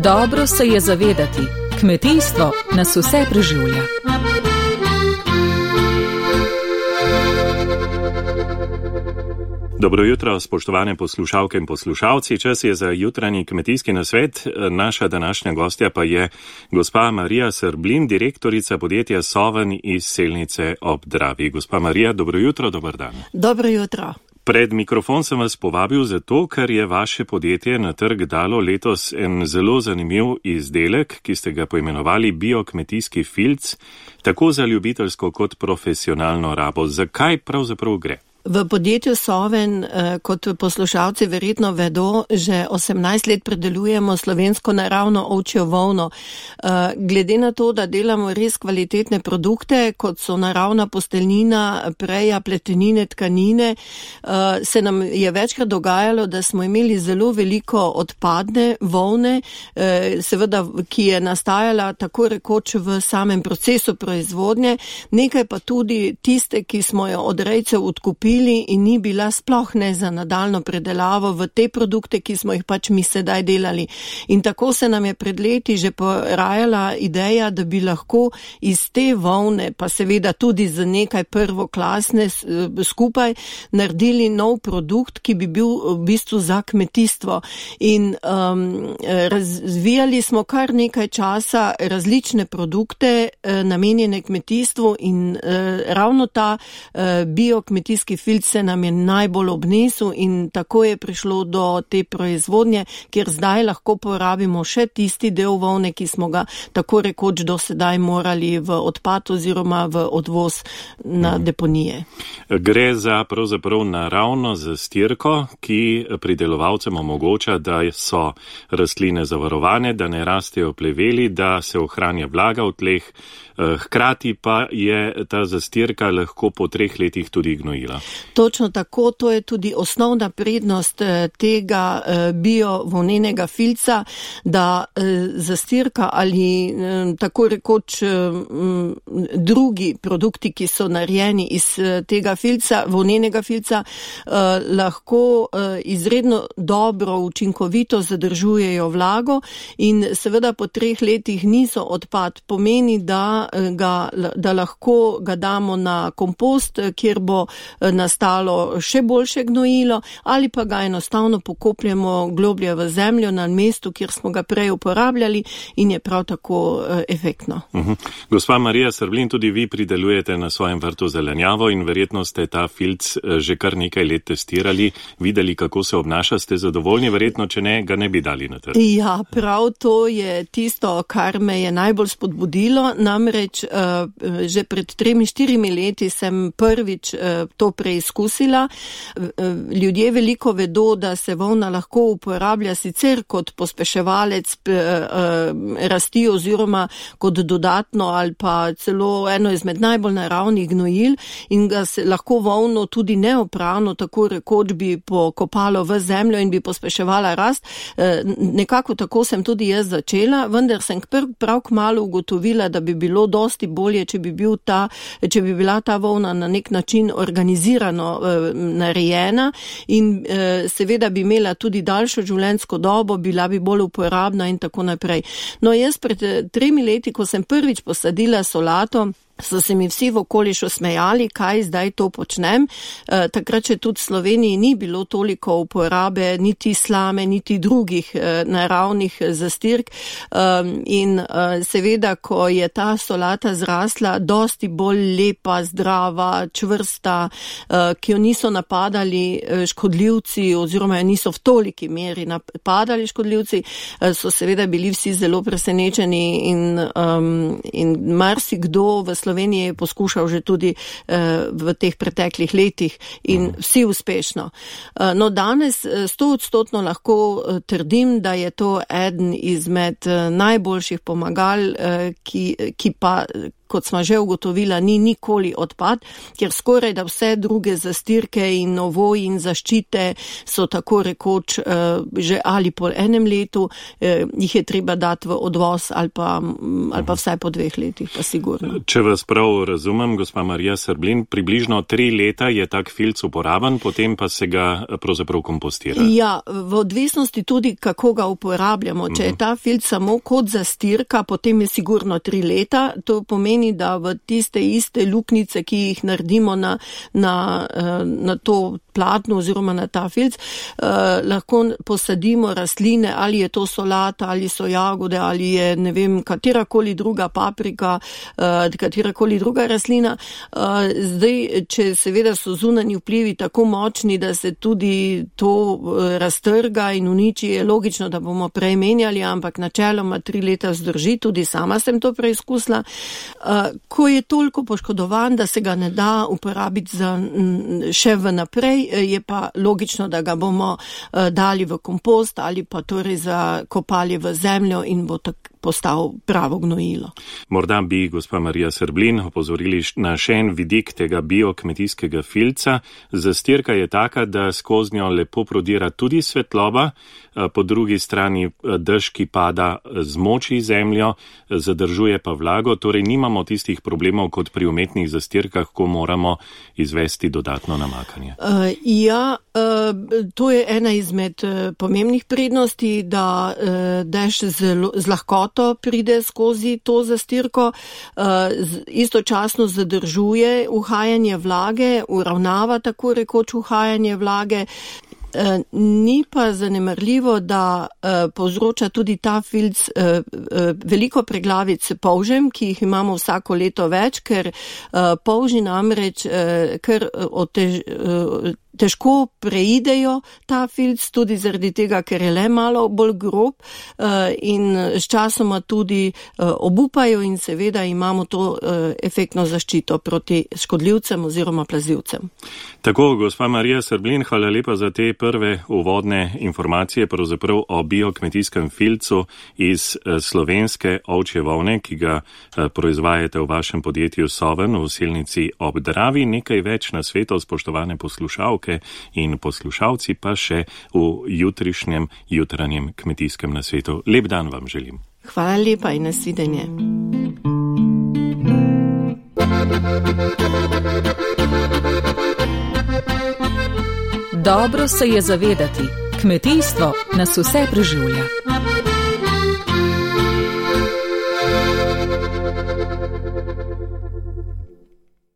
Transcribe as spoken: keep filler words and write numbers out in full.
Dobro se je zavedati, kmetijstvo nas vse preživlja. Dobro jutro, spoštovane poslušalke in poslušalci. Čas je za jutranji kmetijski nasvet. Naša današnja gostja pa je gospa Marija Srblin, direktorica podjetja Soven iz Selnice ob Dravi. Gospa Marija, dobro jutro, dober dan. Dobro jutro. Pred mikrofon sem vas povabil zato, ker je vaše podjetje na trg dalo letos en zelo zanimiv izdelek, ki ste ga poimenovali biokmetijski filc, tako za ljubiteljsko kot profesionalno rabo. Zakaj pravzaprav gre? V podjetju Soven, kot poslušalci verjetno vedo, že osemnajst let predelujemo slovensko naravno ovčjo volno. Glede na to, da delamo res kvalitetne produkte, kot so naravna posteljnina, preja, pletenine, tkanine, se nam je večkrat dogajalo, da smo imeli zelo veliko odpadne volne, seveda, ki je nastajala tako rekoč v samem procesu proizvodnje, nekaj pa tudi tiste, ki smo jo od rejcev odkupili in ni bila sploh ne za nadaljno predelavo v te produkte, ki smo jih pač mi sedaj delali. In tako se nam je pred leti že porajala ideja, da bi lahko iz te volne, pa seveda tudi z nekaj prvoklasne skupaj, naredili nov produkt, ki bi bil v bistvu za kmetijstvo. In um, razvijali smo kar nekaj časa različne produkte uh, namenjene kmetijstvu in uh, ravno ta uh, biokmetijski filc se nam je najbolj obnesel in tako je prišlo do te proizvodnje, kjer zdaj lahko porabimo še tisti del volne, ki smo ga tako rekoč do sedaj morali v odpad oziroma v odvoz na deponije. Gre za pravzaprav naravno zastirko, ki pridelovalcem omogoča, da so rastline zavarovane, da ne rastejo pleveli, da se ohranja vlaga v tleh, hkrati pa je ta zastirka lahko po treh letih tudi gnojila. Točno tako, to je tudi osnovna prednost tega bio-volnenega filca, da zastirka ali tako rekoč drugi produkti, ki so narejeni iz tega filca, volnenega filca, lahko izredno dobro, učinkovito zadržujejo vlago in seveda po treh letih niso odpad. Pomeni, da Ga, da lahko ga damo na kompost, kjer bo nastalo še boljše gnojilo, ali pa ga enostavno pokopljemo globlje v zemljo na mestu, kjer smo ga prej uporabljali in je prav tako efektno. Uh-huh. Gospa Marija Srblin, tudi vi pridelujete na svojem vrtu zelenjavo in verjetno ste ta filc že kar nekaj let testirali, videli, kako se obnaša, ste zadovoljni, verjetno, če ne, ga ne bi dali na trg. Ja, prav to je tisto, kar me je najbolj spodbudilo, namreč Reč, uh, že pred tremi, štirimi leti sem prvič uh, to preizkusila. Uh, ljudje veliko vedo, da se volna lahko uporablja sicer kot pospeševalec uh, uh, rasti oziroma kot dodatno ali pa celo eno izmed najbolj naravnih gnojil in ga se lahko volno tudi neoprano, tako rekoč bi pokopalo v zemljo in bi pospeševala rast. Uh, nekako tako sem tudi jaz začela, vendar sem prav, prav kmalu ugotovila, da bi bilo dosti bolje, če bi, bil ta, če bi bila ta volna na nek način organizirano eh, narejena in eh, seveda bi imela tudi daljšo življenjsko dobo, bila bi bolj uporabna in tako naprej. No, jaz pred tremi leti, ko sem prvič posadila solato, so se mi vsi v okolišu smejali, kaj zdaj to počnem. E, takrat, če tudi v Sloveniji ni bilo toliko uporabe, niti slame, niti drugih e, naravnih zastirk. E, in e, seveda, ko je ta solata zrasla, dosti bolj lepa, zdrava, čvrsta, e, ki jo niso napadali škodljivci oziroma jo niso v toliki meri napadali škodljivci, e, so seveda bili vsi zelo presenečeni in, um, in marsikdo v Sloveniji Sloveniji je poskušal že tudi uh, v teh preteklih letih in vsi uspešno. Uh, no, danes sto odstotno lahko uh, trdim, da je to eden izmed uh, najboljših pomagal, uh, ki, ki pa kot smo že ugotovila, ni nikoli odpad, ker skoraj da vse druge zastirke in novoji in zaščite so tako rekoč že ali po enem letu, jih je treba dati v odvoz ali pa, ali pa vsaj po dveh letih, pa sigurno. Če vas prav razumem, gospa Marija Srblin, približno tri leta je tak filc uporaben, potem pa se ga pravzaprav kompostira. Ja, v odvisnosti tudi, kako ga uporabljamo. Če je ta filc samo kot zastirka, potem je sigurno tri leta. To pomeni, da v tiste iste luknice, ki jih naredimo na, na, na to platno oziroma na ta filc, eh, lahko posadimo rastline, ali je to solata, ali so jagode, ali je, ne vem, katerakoli druga paprika, eh, katerakoli druga rastlina. Eh, zdaj, če seveda so zunanji vplivi tako močni, da se tudi to eh, raztrga in uniči, je logično, da bomo prej menjali, ampak načeloma tri leta zdrži, tudi sama sem to preizkusila. Eh, ko je toliko poškodovan, da se ga ne da uporabiti za m, še v naprej, je pa logično, da ga bomo uh, dali v kompost ali pa torej zakopali v zemljo in bo tak postal pravo gnojilo. Morda bi gospa Marija Srblin opozorili na še en vidik tega biokmetijskega filca. Zastirka je taka, da skozi njo lepo prodira tudi svetloba, po drugi strani dež, ki pada, zmoči zemljo, zadržuje pa vlago, torej nimamo tistih problemov kot pri umetnih zastirkah, ko moramo izvesti dodatno namakanje. Uh, ja, uh, to je ena izmed uh, pomembnih prednosti, da uh, dež zelo, z lahkoto pride skozi to zastirko, uh, istočasno zadržuje uhajanje vlage, uravnava tako rekoč uhajanje vlage. Uh, ni pa zanemarljivo, da uh, povzroča tudi ta filc uh, uh, veliko preglavic polžem, ki jih imamo vsako leto več, ker uh, polži namreč uh, kar otež, uh, težko preidejo ta filc, tudi zaradi tega, ker je le malo bolj grob uh, in s časoma tudi uh, obupajo in seveda imamo to uh, efektno zaščito proti škodljivcem oziroma plazivcem. Tako, gospa Marija Srblin, hvala lepa za te prve uvodne informacije pravzaprav o biokmetijskem filcu iz slovenske ovčje volne, ki ga proizvajate v vašem podjetju Soven v Selnici ob Dravi. Nekaj več na svetu, spoštovane poslušalke in poslušalci, pa še v jutrišnjem jutranjem kmetijskem nasvetu. Lep dan vam želim. Hvala lepa in nasvidenje. Dobro se je zavedati, kmetijstvo nas vse preživlja.